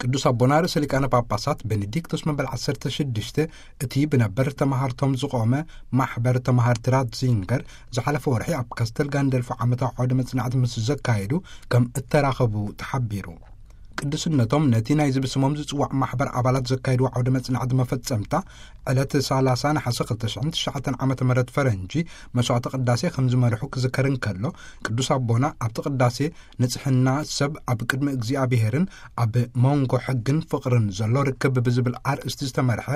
ቅዱስ ኣቦና ርእሰ ሊቃነ ጳጳሳት ቤኔዲክቶስ መበል ዓሰርተ ሽዱሽተ፣ እቲ ብነበር ተማሃርቶም ዝቖመ ማሕበር ተማሃርቲ ራትዚንገር፣ ዝሓለፈ ወርሒ ኣብ ካስተል ጋንደልፎ ዓመታዊ ዓውደ መጽናዕቲ ምስ ዘካየዱ ከም እተራኸቡ ተሓቢሩ። ቅዱስነቶም ነቲ ናይ ዝብስሞም ዝጽዋዕ ማሕበር ኣባላት ዘካየድዎ ዓውደ መጽናዕቲ መፈጸምታ፣ ዕለት ሰላሳ ነሓሰ ክልተ ሽሕን ትሽዓተን ዓመተ ምህረት ፈረንጂ፣ መስዋዕተ ቅዳሴ ከም ዝመርሑ ክዝከር እንከሎ፣ ቅዱስ ኣቦና ኣብቲ ቅዳሴ ንጽሕና ሰብ ኣብ ቅድሚ እግዚኣብሔርን ኣብ መንጎ ሕግን ፍቕርን ዘሎ ርክብ ብዝብል ኣርእስቲ ዝተመርሐ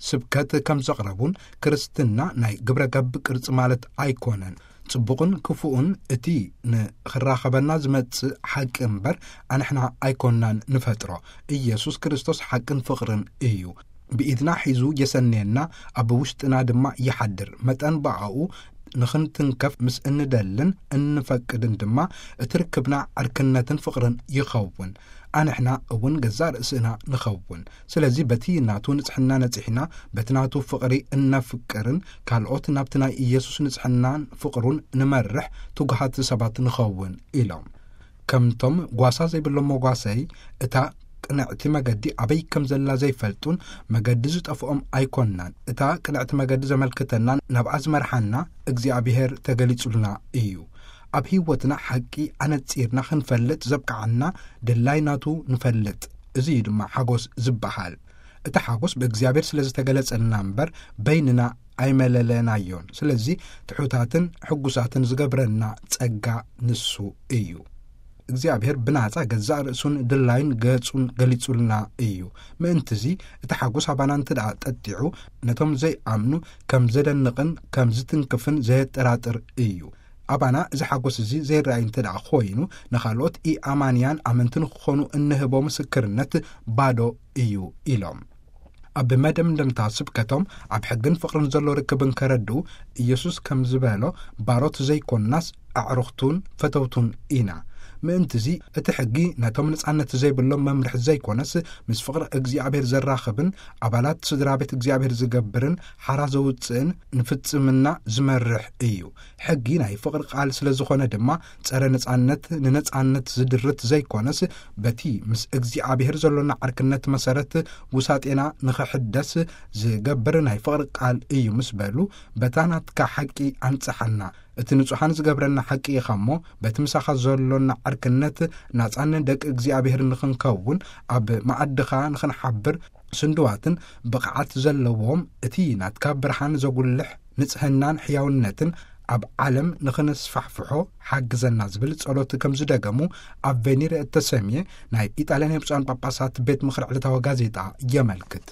ስብከት ከም ዘቕረቡን፣ ክርስትና ናይ ግብረ ገብ ቅርጺ ማለት ኣይኮነን፣ ጽቡቕን ክፉእን እቲ ንኽራኸበና ዝመጽእ ሓቂ እምበር፣ ኣንሕና ኣይኮንናን ንፈጥሮ። ኢየሱስ ክርስቶስ ሓቅን ፍቕርን እዩ። ብኢድና ሒዙ የሰንየና፣ ኣብ ውሽጥና ድማ ይሓድር። መጠን ብኣኡ ንኽንትንከፍ ምስ እንደልን እንፈቅድን ድማ፣ እቲ ርክብና ዕርክነትን ፍቕርን ይኸውን። ኣንሕና እውን ገዛእ ርእስና ንኸውን። ስለዚ በቲ ናቱ ንጽሕና ነጺሕና፣ በቲ ናቱ ፍቕሪ እነፍቅርን ካልኦት ናብቲ ናይ ኢየሱስ ንጽሕናን ፍቕሩን ንመርሕ ትጉሃት ሰባት ንኸውን ኢሎም። ከምቶም ጓሳ ዘይብሎም መጓሰይ፣ እታ ቅንዕቲ መገዲ ኣበይ ከም ዘላ ዘይፈልጡን መገዲ ዝጠፍኦም ኣይኮንናን። እታ ቅንዕቲ መገዲ ዘመልክተና፣ ናብኣ ዝመርሓና እግዚኣብሔር ተገሊጹልና እዩ። ኣብ ህይወትና ሓቂ ኣነጺርና ክንፈልጥ ዘብቅዓና ድላይ ናቱ ንፈልጥ። እዚ እዩ ድማ ሓጎስ ዝበሃል። እቲ ሓጎስ ብእግዚኣብሔር ስለ ዝተገለጸልና እምበር በይንና ኣይመለለናዮን። ስለዚ ትሑታትን ሕጉሳትን ዝገብረና ጸጋ ንሱ እዩ። እግዚኣብሔር ብናጻ ገዛእ ርእሱን ድላይን ገጹን ገሊጹልና እዩ። ምእንትዚ እቲ ሓጎስ ኣባና እንተ ደኣ ጠጢዑ፣ ነቶም ዘይኣምኑ ከም ዘደንቕን ከም ዝትንክፍን ዘየጠራጥር እዩ። ኣባና እዚ ሓጎስ እዚ ዘይረኣይ እንተ ደኣ ኮይኑ፣ ንኻልኦት ኢኣማንያን ኣመንቲ ንክኾኑ እንህቦ ምስክርነት ባዶ እዩ ኢሎም። ኣብ መደምደምታ ስብከቶም፣ ኣብ ሕግን ፍቕርን ዘሎ ርክብ እንከረድኡ፣ ኢየሱስ ከም ዝበሎ፣ ባሮት ዘይኮንናስ ኣዕሩኽቱን ፈተውቱን ኢና። ምእንትዚ እቲ ሕጊ ነቶም ነጻነት ዘይብሎም መምርሒ ዘይኮነስ፣ ምስ ፍቕሪ እግዚኣብሔር ዘራኽብን ኣባላት ስድራ ቤት እግዚኣብሔር ዝገብርን ሓራ ዘውጽእን ንፍጽምና ዝመርሕ እዩ። ሕጊ ናይ ፍቕሪ ቃል ስለ ዝኾነ ድማ፣ ጸረ ነጻነት፣ ንነጻነት ዝድርት ዘይኮነስ፣ በቲ ምስ እግዚኣብሔር ዘሎና ዓርክነት መሰረት ውሳጤና ንኽሕደስ ዝገብር ናይ ፍቕሪ ቃል እዩ ምስ በሉ፣ በታ ናትካ ሓቂ ኣንጽሓና። እቲ ንጹሓን ዝገብረና ሓቂ ኢኻ እሞ፣ በቲ ምሳኻ ዘሎና ዓርክነት ናጻን ደቂ እግዚኣብሔር ንኽንከውን፣ ኣብ መኣድኻ ንኽንሓብር ስንድዋትን ብቕዓት ዘለዎም፣ እቲ ናትካ ብርሃን ዘጉልሕ ንጽህናን ሕያውነትን ኣብ ዓለም ንኽንስፋሕፍሖ ሓግዘና ዝብል ጸሎት ከም ዝደገሙ ኣብ ቬኒር እተሰምየ ናይ ኢጣልያ ናይ ብፁዓን ጳጳሳት ቤት ምኽሪ ዕለታዊ ጋዜጣ የመልክት።